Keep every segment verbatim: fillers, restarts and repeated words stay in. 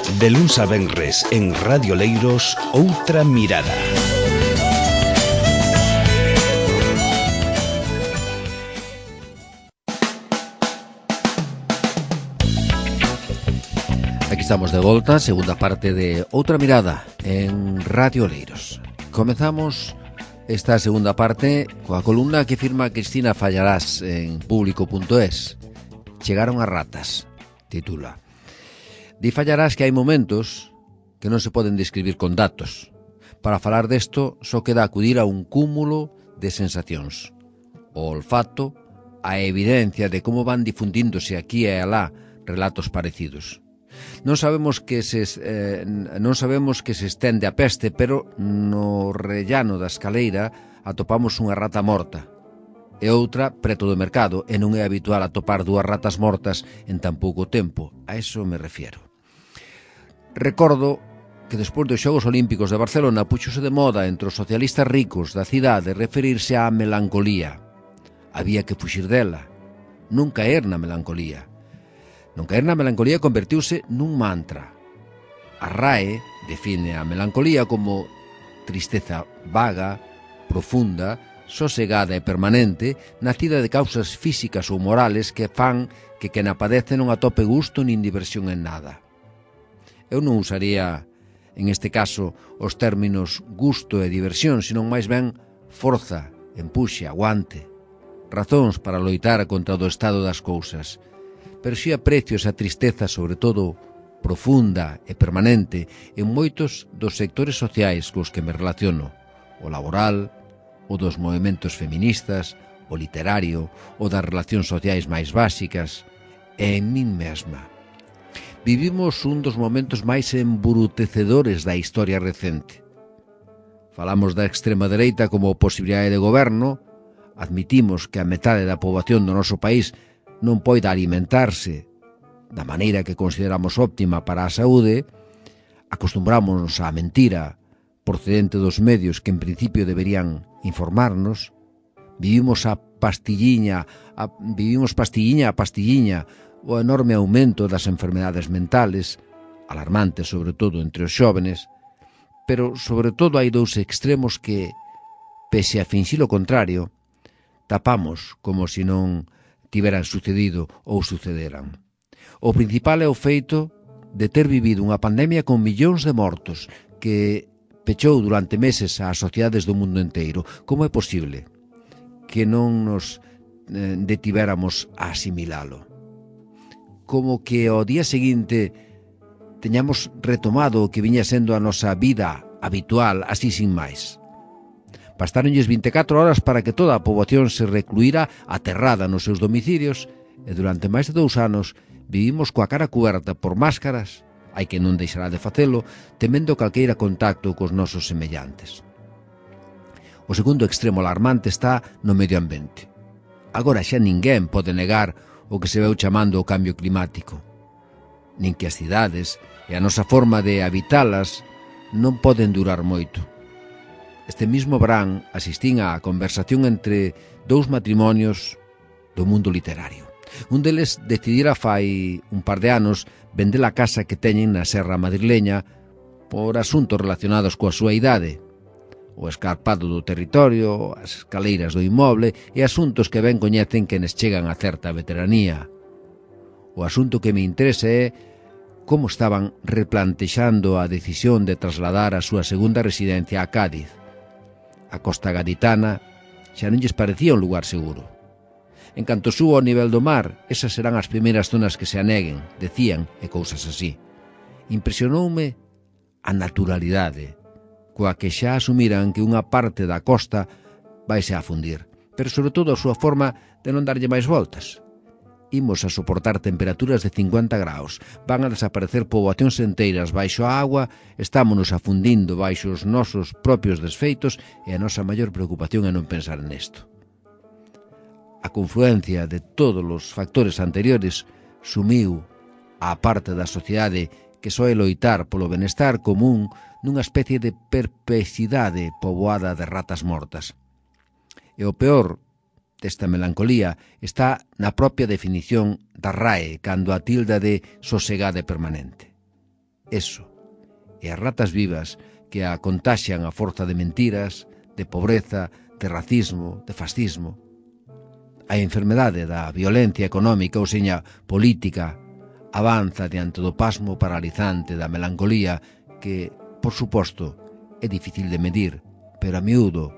De luns a venres en Radio Leiros, Outra Mirada. Aquí estamos de volta, segunda parte de Outra Mirada en Radio Leiros. Comezamos esta segunda parte coa columna que firma Cristina Fallarás en público punto es. Chegaron as ratas, titula. Di Fallarás que hai momentos que non se poden describir con datos. Para falar desto, só queda acudir a un cúmulo de sensacións. O olfato, a evidencia de como van difundíndose aquí e alá relatos parecidos. Non sabemos que se eh, non sabemos que se estende a peste, pero no rellano da escaleira atopamos unha rata morta e outra preto do mercado, e non é habitual atopar dúas ratas mortas en tan pouco tempo. A eso me refiero. Recordo que despois dos Xogos Olímpicos de Barcelona puxose de moda entre os socialistas ricos da cidade referirse á melancolía. Había que fuxir dela, non caer na melancolía. Non caer na melancolía convertiuse nun mantra. A R A E define a melancolía como tristeza vaga, profunda, sosegada e permanente, nacida de causas físicas ou morales que fan que quen a padece non atope gusto nin diversión en nada. Eu non usaría, en este caso, os términos gusto e diversión, senón máis ben forza, empuxe, aguante, razóns para loitar contra o estado das cousas. Pero si aprecio esa tristeza, sobre todo profunda e permanente, en moitos dos sectores sociais cos que me relaciono, o laboral, o dos movementos feministas, o literario, o das relacións sociais máis básicas, e en min mesma. Vivimos un dos momentos máis embrutecedores da historia recente. Falamos da extrema dereita como posibilidade de goberno, admitimos que a metade da poboación do noso país non poida alimentarse da maneira que consideramos óptima para a saúde, acostumbrámonos á mentira procedente dos medios que en principio deberían informarnos, vivimos a pastilliña, a, vivimos pastilliña a pastilliña o enorme aumento das enfermedades mentales, alarmantes sobre todo entre os xóvenes, pero sobre todo hai dous extremos que, pese a finxir o contrario, tapamos como se non tiveran sucedido ou sucederan. O principal é o feito de ter vivido unha pandemia con millóns de mortos que pechou durante meses ás sociedades do mundo inteiro. Como é posible que non nos eh, detivéramos a asimilalo? Como que ao día seguinte teñamos retomado o que viña sendo a nosa vida habitual, así sin máis. Bastáronlles vinte e catro horas para que toda a poboación se recluíra aterrada nos seus domicilios e durante máis de dous anos vivimos coa cara cuberta por máscaras, hai que non deixará de facelo, temendo calqueira contacto cos nosos semellantes. O segundo extremo alarmante está no medio ambiente. Agora xa ninguén pode negar o que se veu chamando o cambio climático, nin que as cidades e a nosa forma de habitalas non poden durar moito. Este mismo verán asistín á conversación entre dous matrimonios do mundo literario. Un deles decidira fai un par de anos vender a casa que teñen na serra madrileña por asuntos relacionados coa súa idade, o escarpado do territorio, as escaleiras do inmoble e asuntos que ben coñecen quenes chegan a certa veteranía. O asunto que me interesa é como estaban replantexando a decisión de trasladar a súa segunda residencia a Cádiz. A costa gaditana xa non lles parecía un lugar seguro. En canto suba ao nivel do mar, esas serán as primeiras zonas que se aneguen, decían, e cousas así. Impresionoume a naturalidade, coa que xa asumiran que unha parte da costa vaise a fundir, pero sobre todo a súa forma de non darlle máis voltas. Imos a soportar temperaturas de cincuenta graus, van a desaparecer poboacións enteiras baixo a agua, estámonos afundindo baixo os nosos propios desfeitos e a nosa maior preocupación é non pensar nesto. A confluencia de todos os factores anteriores sumiu á parte da sociedade que soe loitar polo benestar común nunha especie de perplexidade poboada de ratas mortas. E o peor desta melancolía está na propia definición da R A E cando a tilda de sosegada e permanente. eso. E as ratas vivas que a contaxian a forza de mentiras, de pobreza, de racismo, de fascismo. A enfermedade da violencia económica, ou seña, política, avanza diante do pasmo paralizante da melancolía que, por suposto, é difícil de medir, pero a miúdo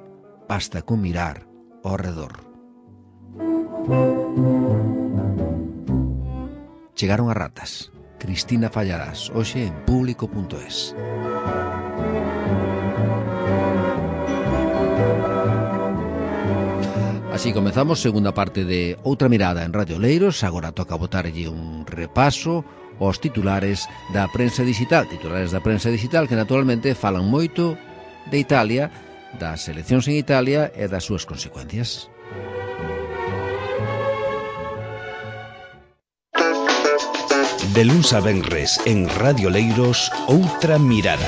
basta con mirar ao redor. Chegaron as ratas. Cristina Fallarás, hoxe en público punto es. Así comezamos segunda parte de Outra Mirada en Radio Leiros. Agora toca botarlle un repaso aos titulares da prensa digital. Titulares da prensa digital que naturalmente falan moito de Italia, das eleccións en Italia e das súas consecuencias. De luns a venres en Radio Leiros, Outra Mirada.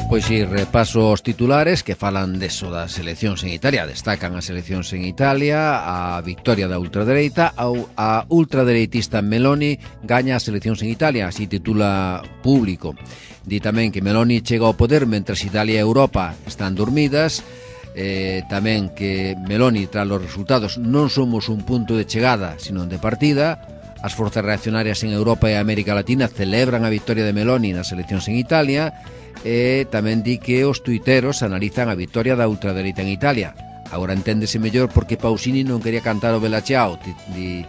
Pois si, repaso os titulares que falan deso das eleccións en Italia. Destacan as eleccións en Italia, a victoria da ultradereita, a ultradereitista Meloni gaña as eleccións en Italia, así titula Público. Di tamén que Meloni chega ao poder mentres Italia e Europa están dormidas, eh, tamén que Meloni, tras os resultados, non somos un punto de chegada, sino de partida. As forzas reaccionarias en Europa e América Latina celebran a victoria de Meloni nas eleccións en Italia. E tamén di que os tuiteros analizan a victoria da ultradereita en Italia. Agora enténdese mellor porque Pausini non quería cantar o Bella Ciao, di,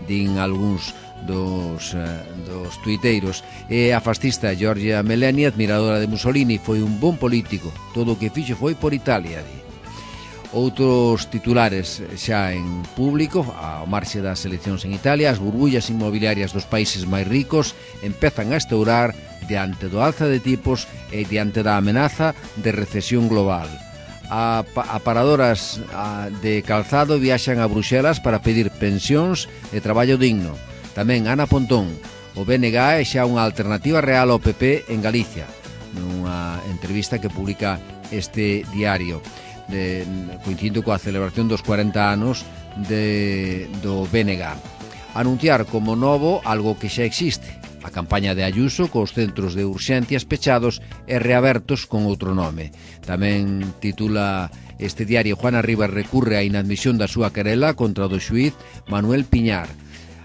din algúns dos, uh, dos tuiteiros. E a fascista Giorgia Meloni, admiradora de Mussolini, foi un bon político. Todo o que fixo foi por Italia, di. Outros titulares xa en público, ao marxe das eleccións en Italia, as burbullas inmobiliarias dos países máis ricos empezan a estourar diante do alza de tipos e diante da amenaza de recesión global. A, a paradoras a, de calzado viaxan a Bruxelas para pedir pensións e traballo digno. Tamén Ana Pontón, o B N G é xa unha alternativa real ao P P en Galicia, nunha entrevista que publica este diario, de, coincidindo coa celebración dos cuarenta anos de, do B N G. Anunciar como novo algo que xa existe, a campaña de Ayuso cos centros de urxencias pechados e reabertos con outro nome. Tamén titula este diario: Juana Rivas recurre á inadmisión da súa querela contra o do xuíz Manuel Piñar.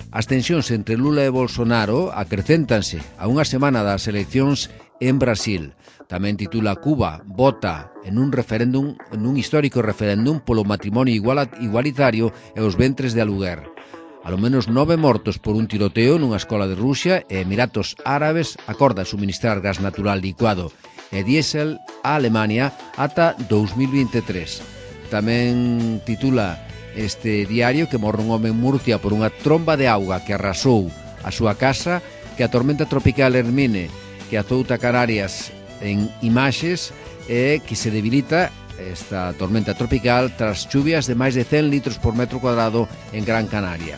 As tensións entre Lula e Bolsonaro acrecéntanse a unha semana das eleccións en Brasil. Tamén titula: Cuba vota en un referéndum, en un histórico referéndum polo matrimonio igualitario e os ventres de aluguer. Alo menos nove mortos por un tiroteo nunha escola de Rusia e Emiratos Árabes acorda suministrar gas natural licuado e diésel a Alemania ata dous mil vinte e tres. Tamén titula este diario que morre un home en Murcia por unha tromba de auga que arrasou a súa casa, que a tormenta tropical Hermine que azouta Canarias en imaxes e que se debilita esta tormenta tropical tras chuvias de máis de cen litros por metro cuadrado en Gran Canaria.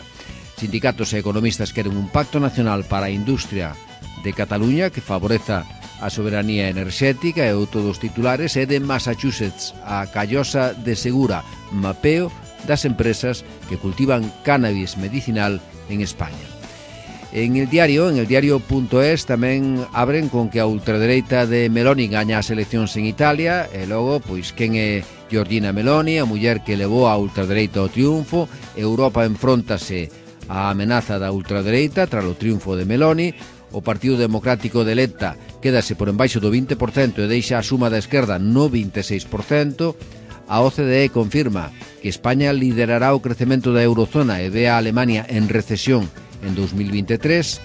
Sindicatos e economistas queren un pacto nacional para a industria de Cataluña que favoreza a soberanía enerxética, e outro dos titulares é de Massachusetts, a callosa de Segura, mapeo das empresas que cultivan cannabis medicinal en España. En el diario, en el diario punto es, tamén abren con que a ultradereita de Meloni gaña as eleccións en Italia, e logo, pois, quen é Giorgina Meloni, a muller que levou a ultradereita ao triunfo. Europa enfróntase a amenaza da ultradereita tras o triunfo de Meloni. O Partido Democrático de Letta quédase por embaixo do vinte por cento e deixa a suma da esquerda no vinte e seis por cento. A O C D E confirma que España liderará o crecemento da eurozona e ve a Alemania en recesión en dous mil vinte e tres.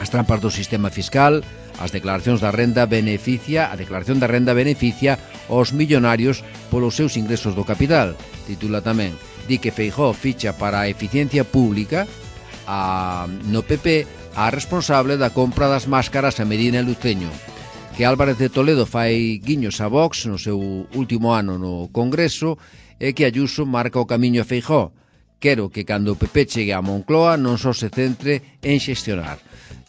As trampas do sistema fiscal, as declaracións da renda beneficia, a declaración da renda beneficia aos millonarios polos seus ingresos do capital. Titula tamén: di que Feijóo ficha para a eficiencia pública a, no P P a responsable da compra das máscaras a Medina e Luceño. Que Álvarez de Toledo fai guiños a Vox no seu último ano no Congreso e que Ayuso marca o camiño a Feijóo. quero que cando o P P chegue a Moncloa non só se centre en xestionar.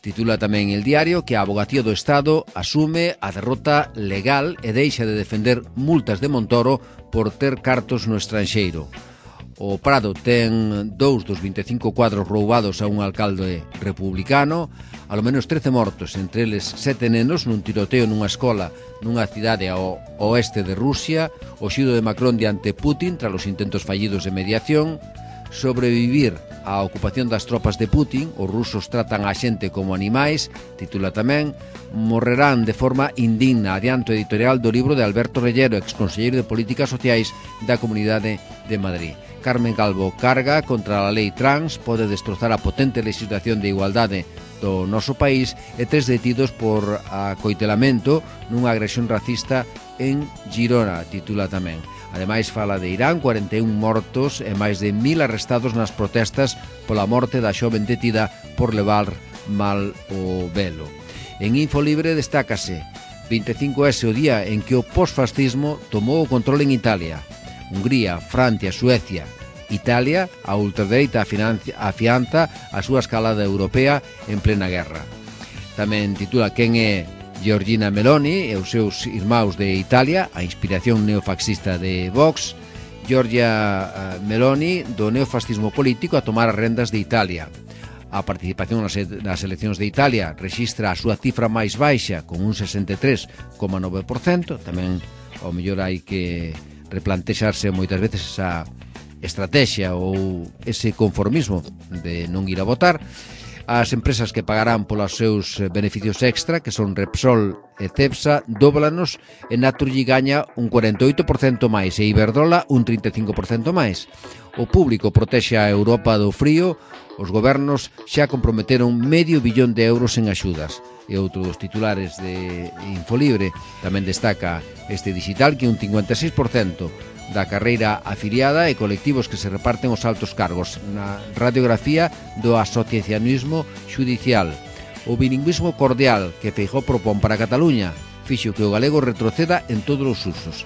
Titula tamén El Diario que a Avogacía do Estado asume a derrota legal e deixa de defender multas de Montoro por ter cartos no estranxeiro. O Prado ten dous dos vinte e cinco cuadros roubados a un alcalde republicano, alo menos trece mortos, entre eles sete nenos nun tiroteo nunha escola nunha cidade ao oeste de Rusia, o xido de Macron diante Putin tras os intentos fallidos de mediación, sobrevivir á ocupación das tropas de Putin, os rusos tratan a xente como animais, titula tamén, morrerán de forma indigna, adianto editorial do libro de Alberto Reyero, exconselleiro de Políticas Sociais da Comunidade de Madrid. Carmen Calvo carga contra a lei trans, pode destrozar a potente legislación de igualdade do noso país e tres detidos por acoitelamento nunha agresión racista en Girona, titula tamén. Ademais, fala de Irán, cuarenta e un mortos e máis de mil arrestados nas protestas pola morte da xoven detida por levar mal o velo. En Infolibre destácase vinte e cinco ese o día en que o posfascismo tomou o control en Italia. Hungría, Francia, Suecia, Italia, a ultradereita afianza a súa escalada europea en plena guerra. Tamén titula quen é Giorgina Meloni e os seus irmãos de Italia, a inspiración neofaxista de Vox. Giorgia Meloni, do neofascismo político, a tomar as rendas de Italia. A participación nas eleccións de Italia rexistra a súa cifra máis baixa, con un sesenta e tres coma nove por cento. Tamén, ao mellor, hai que replantexarse moitas veces esa estrategia ou ese conformismo de non ir a votar. As empresas que pagarán polos seus beneficios extra, que son Repsol e Cepsa, dóblanos, e Naturgy gaña un cuarenta e oito por cento máis e Iberdrola un trinta e cinco por cento máis. O público protexe a Europa do frío, os gobernos xa comprometeron medio billón de euros en axudas. E outro dos titulares de Infolibre tamén destaca este digital que un cincuenta e seis por cento da carreira afiliada e colectivos que se reparten os altos cargos na radiografía do asociacionismo xudicial. O bilingüismo cordial que Feijóo propón para Cataluña fixo que o galego retroceda en todos os usos.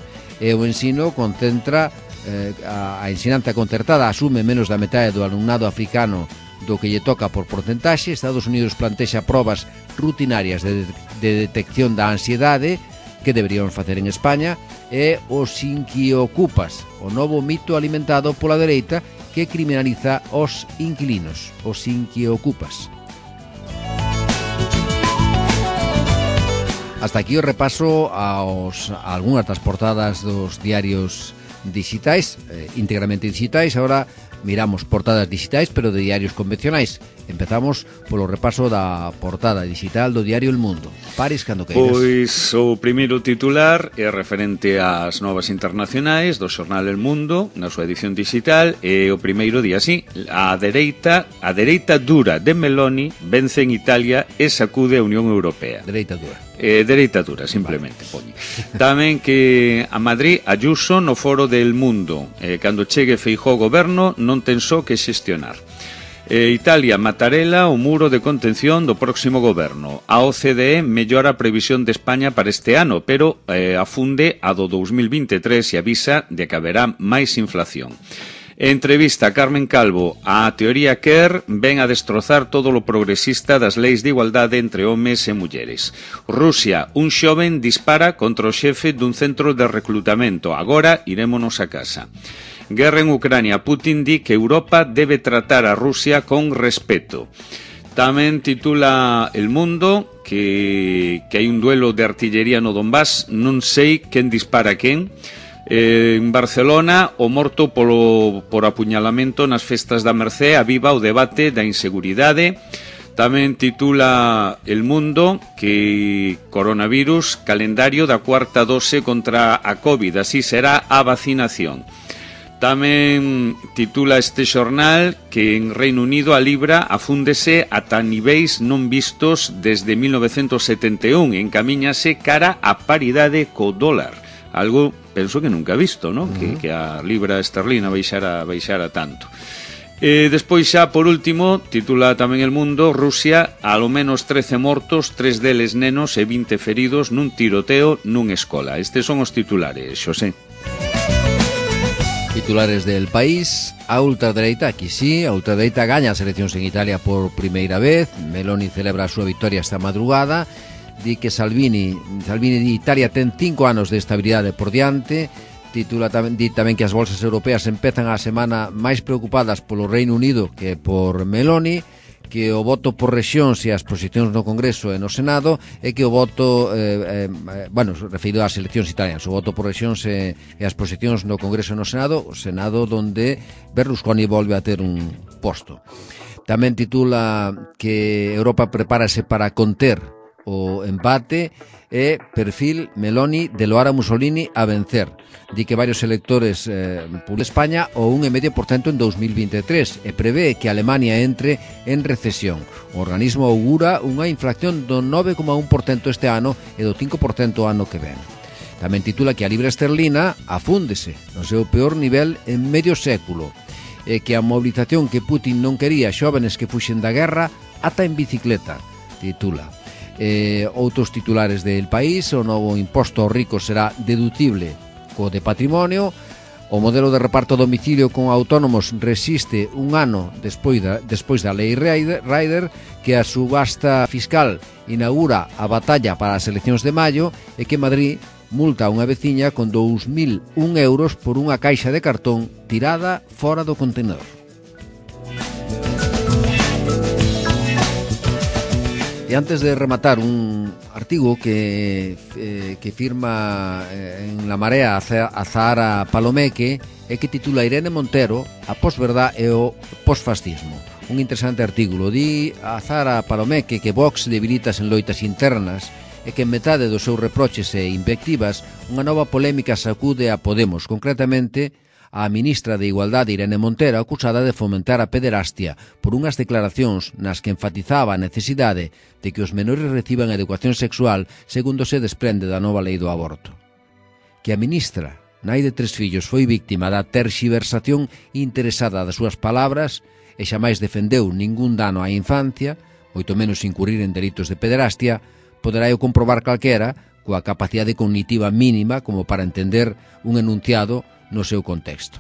E o ensino concentra eh, a, a ensinanza concertada asume menos da metade do alumnado africano do que lle toca por porcentaxe. Estados Unidos plantexa probas rutinarias de, de detección da ansiedade que deberíamos facer en España, e os inquiocupas, o novo mito alimentado pola dereita que criminaliza os inquilinos, os inquiocupas. Hasta aquí o repaso aos, a algunhas das portadas dos diarios digitais, eh, íntegramente digitais. Ahora miramos portadas digitais, pero de diarios convencionais. Empezamos polo repaso da portada digital do diario El Mundo. Paris, cando queiras. Pois o primeiro titular é referente ás novas internacionais do xornal El Mundo, na súa edición digital, e o primeiro día así: a dereita, a dereita dura de Meloni vence en Italia e sacude a Unión Europea. Dereita dura. Eh, dereita dura, simplemente, vale. Tamén que a Madrid Ayuso no foro del Mundo, eh, cando chegue Feijóo ao goberno non ten só que xestionar. Eh, Italia, Mattarella, o muro de contención do próximo goberno. A O C D E mellora a previsión de España para este ano, pero eh, afunde a do dos mil vinte e tres e avisa de que haberá máis inflación. Entrevista a Carmen Calvo. A teoría Kerr ven a destrozar todo lo progresista das leis de igualdade entre homes e mulleres. Rusia, un xoven dispara contra o xefe dun centro de reclutamento. Agora irémonos a casa. Guerra en Ucrania. Putin di que Europa debe tratar a Rusia con respeto. Tamén titula El Mundo que, que hai un duelo de artillería no Donbass. Non sei quen dispara quen. Eh, en Barcelona, o morto polo, por apuñalamento nas festas da Mercé aviva o debate da inseguridade. Tamén titula El Mundo que coronavirus, calendario da cuarta dose contra a COVID, así será a vacinación. Tamén titula este xornal que en Reino Unido a libra afúndese ata niveis non vistos desde mil novecentos setenta e un, encamíñase cara a paridade co dólar. Algo, penso que nunca visto, ¿no? Uh-huh. que, que a libra esterlina baixara, baixara tanto. E despois xa, por último, titula tamén El Mundo, Rusia, alo menos trece mortos, tres deles nenos e vinte feridos nun tiroteo nun escola. Estes son os titulares, Xosé. E Titulares del país. A ultradereita, aquí sí, a ultradereita gaña as eleccións en Italia por primeira vez. Meloni celebra a súa victoria esta madrugada. Di que Salvini, Salvini di Italia ten cinco anos de estabilidade por diante. Titula tamén, di tamén que as bolsas europeas empezan a semana máis preocupadas polo Reino Unido que por Meloni, que o voto por rexións e as posicións no Congreso e no Senado, e que o voto eh, eh, bueno, referido ás eleccións italianas, o voto por rexións e, e as posicións no Congreso e no Senado, o Senado donde Berlusconi volve a ter un posto. Tamén titula que Europa prepárase para conter o empate e perfil Meloni de loar a Mussolini a vencer. Di que varios electores eh, por España o un e medio por cento en dos mil veintitrés e prevé que Alemania entre en recesión. O organismo augura unha inflación do nove coma un por cento este ano e do cinco por cento ano que ven. Tamén titula que a libra esterlina afúndese no seu peor nivel en medio século e que a mobilización que Putin non quería xóvenes que fuxen da guerra ata en bicicleta, titula. Eh, outros titulares del país: o novo imposto aos ricos será deducible co de patrimonio. O modelo de reparto a domicilio con autónomos resiste un ano despois da, despois da lei Rider, que a subasta fiscal inaugura a batalla para as eleccións de maio e que Madrid multa a unha veciña con dous mil un euros por unha caixa de cartón tirada fora do contenedor. E antes de rematar, un artigo que, eh, que firma eh, en La Marea a Zahara Palomeque e que titula Irene Montero, a posverdad e o posfascismo. Un interesante artículo. Di a Zahara Palomeque que Vox debilitas en loitas internas e que en metade dos seus reproches e invectivas unha nova polémica sacude a Podemos, concretamente a ministra de Igualdade Irene Montero, acusada de fomentar a pederastia por unhas declaracións nas que enfatizaba a necesidade de que os menores reciban educación sexual segundo se desprende da nova lei do aborto. Que a ministra, nai de tres fillos, foi víctima da terxiversación interesada das súas palabras e xamais defendeu ningún dano á infancia, moito menos incurrir en delitos de pederastia, poderá eu comprobar calquera coa capacidade cognitiva mínima como para entender un enunciado no seu contexto.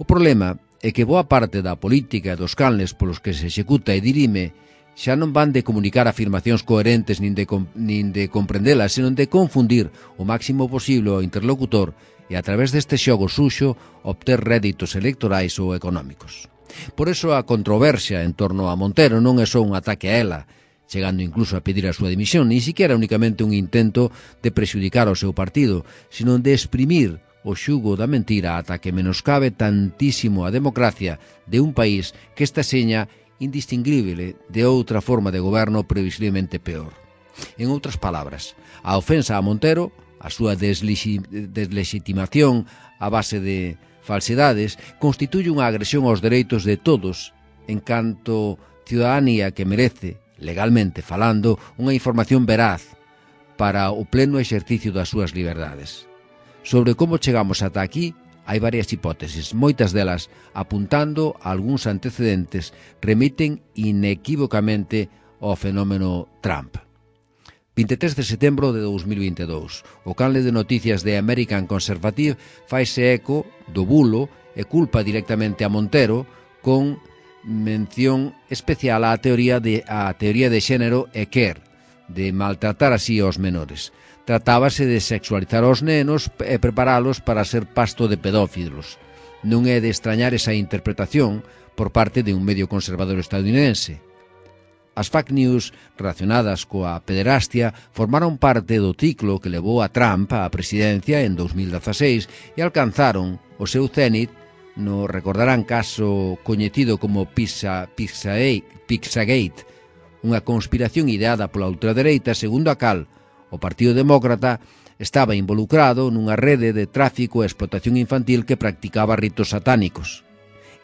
O problema é que boa parte da política e dos canles polos que se executa e dirime xa non van de comunicar afirmacións coherentes nin de, nin de comprendelas, senón de confundir o máximo posible ao interlocutor e a través deste xogo suxo obter réditos electorais ou económicos. Por eso a controversia en torno a Montero non é só un ataque a ela, chegando incluso a pedir a súa dimisión, ni siquiera únicamente un intento de prexudicar ao seu partido, sino de exprimir o xugo da mentira ata que menoscabe tantísimo a democracia de un país que está seña indistinguible de outra forma de goberno previsiblemente peor. En outras palabras, a ofensa a Montero, a súa deslegitimación a base de falsedades, constituye unha agresión aos dereitos de todos en canto ciudadanía que merece, legalmente falando, unha información veraz para o pleno exercicio das súas liberdades. Sobre como chegamos ata aquí, hai varias hipótesis, moitas delas apuntando a algúns antecedentes remiten inequívocamente ao fenómeno Trump. vinte e tres de setembro de dos mil vinte e dous, o canle de noticias de American Conservative faise eco do bulo e culpa directamente a Montero con mención especial á teoría de, a teoría de xénero e quer, de maltratar así aos menores. Tratábase de sexualizar aos nenos e preparalos para ser pasto de pedófilos. Non é de extrañar esa interpretación por parte de un medio conservador estadounidense. As fake news relacionadas coa pederastia formaron parte do ciclo que levou a Trump á presidencia en dos mil dezaseis e alcanzaron o seu cénit no, recordarán, caso coñecido como Pizza, Pizzagate, Pizzagate, unha conspiración ideada pola ultradereita segundo a cal o Partido Demócrata estaba involucrado nunha rede de tráfico e explotación infantil que practicaba ritos satánicos.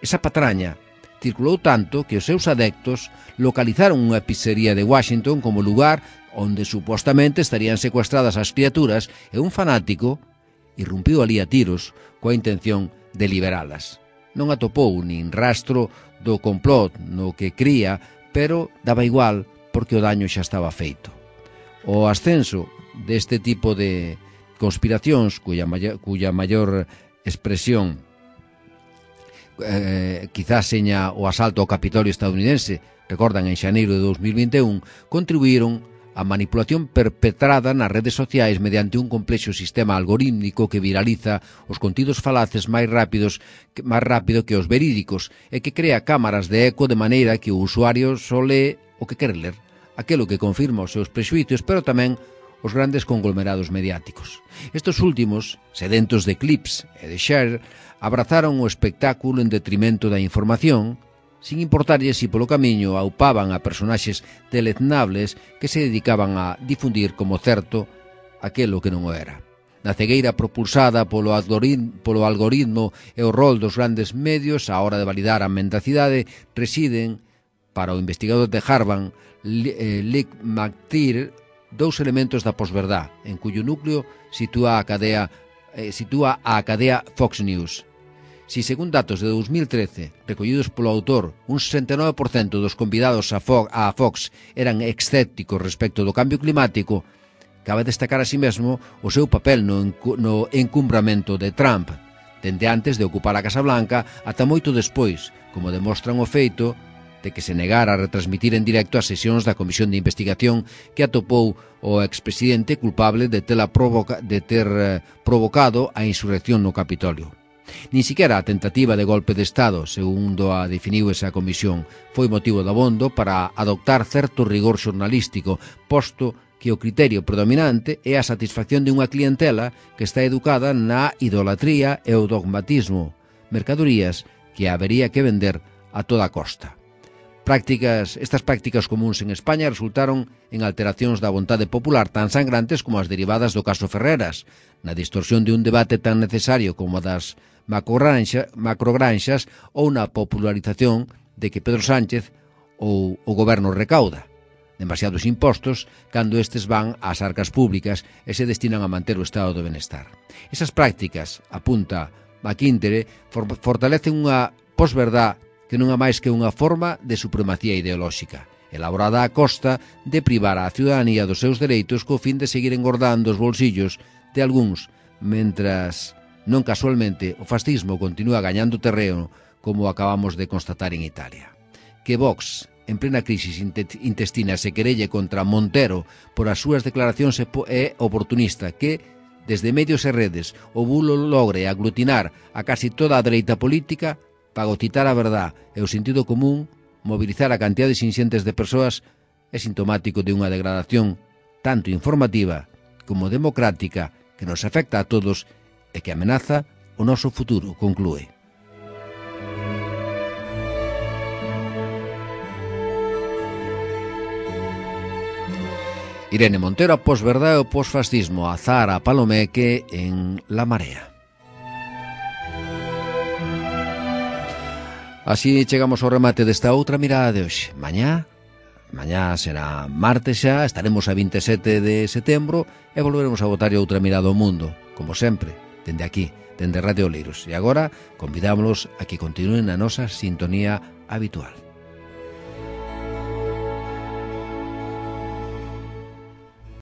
Esa patraña circulou tanto que os seus adeptos localizaron unha pizzería de Washington como lugar onde supostamente estarían secuestradas as criaturas e un fanático irrumpiu ali a tiros coa intención de liberalas. Non atopou nin rastro do complot no que cría, pero daba igual porque o daño xa estaba feito. O ascenso deste tipo de conspiracións, cuya maior, cuya maior expresión eh, quizás seña o asalto ao Capitolio estadounidense, recordan, en xaneiro de dos mil vinte e un, contribuíron a manipulación perpetrada nas redes sociais mediante un complexo sistema algorítmico que viraliza os contidos falaces máis rápidos máis rápido que os verídicos e que crea cámaras de eco de maneira que o usuario só lee o que quere ler, aquelo que confirma os seus prexuízos, pero tamén os grandes conglomerados mediáticos. Estes últimos, sedentos de clips e de share, abrazaron o espectáculo en detrimento da información, sin importarlle si polo camiño aupaban a personaxes deleznables que se dedicaban a difundir como certo aquelo que non o era. Na cegueira propulsada polo algoritmo, polo algoritmo e o rol dos grandes medios á hora de validar a mendacidade residen, para o investigador de Harvard, Lick McTeer, dous elementos da posverdad, en cuyo núcleo sitúa a cadea, eh, sitúa a cadea Fox News. Si, según datos de dos mil trece, recollidos polo autor, un sesenta e nove por cento dos convidados a Fox, a Fox eran escépticos respecto do cambio climático, cabe destacar así mesmo o seu papel no, no encumbramento de Trump, dende antes de ocupar a Casa Blanca ata moito despois, como demostran o feito de que se negara a retransmitir en directo as sesións da Comisión de Investigación que atopou o expresidente culpable de, provoca, de ter eh, provocado a insurrección no Capitolio. Nin siquiera a tentativa de golpe de Estado, segundo a definiu esa comisión, foi motivo dabondo para adoptar certo rigor xornalístico, posto que o criterio predominante é a satisfacción de unha clientela que está educada na idolatría e o dogmatismo, mercadorías que habería que vender a toda costa. Prácticas, estas prácticas comuns en España resultaron en alteracións da vontade popular tan sangrantes como as derivadas do caso Ferreras, na distorsión de un debate tan necesario como das macrogranxa, macrogranxas ou na popularización de que Pedro Sánchez ou o goberno recauda demasiados impostos cando estes van ás arcas públicas e se destinan a manter o estado de benestar. Esas prácticas, apunta McIntyre, for fortalecen unha posverdad que non é máis que unha forma de supremacía ideolóxica, elaborada a costa de privar a ciudadanía dos seus dereitos co fin de seguir engordando os bolsillos de algúns, mentras, non casualmente, o fascismo continúa gañando terreno, como acabamos de constatar en Italia. Que Vox, en plena crisis intestina, se querelle contra Montero por as súas declaracións é oportunista, que, desde medios e redes, o bulo logre aglutinar a casi toda a dereita política, fagocitar a verdad e o sentido común, mobilizar a cantidades inxentes de persoas, é sintomático de unha degradación tanto informativa como democrática que nos afecta a todos e que amenaza o noso futuro, conclúe. Irene Montero, a posverdad e o posfascismo, a Zahara Palomeque en La Marea. Así chegamos ao remate desta outra mirada de hoxe. Mañá, mañá será martes xa, estaremos a vinte e sete de setembro e volveremos a botar outra mirada ao mundo, como sempre, dende aquí, dende Radio Oleiros. E agora convidámonos a que continúen na nosa sintonía habitual.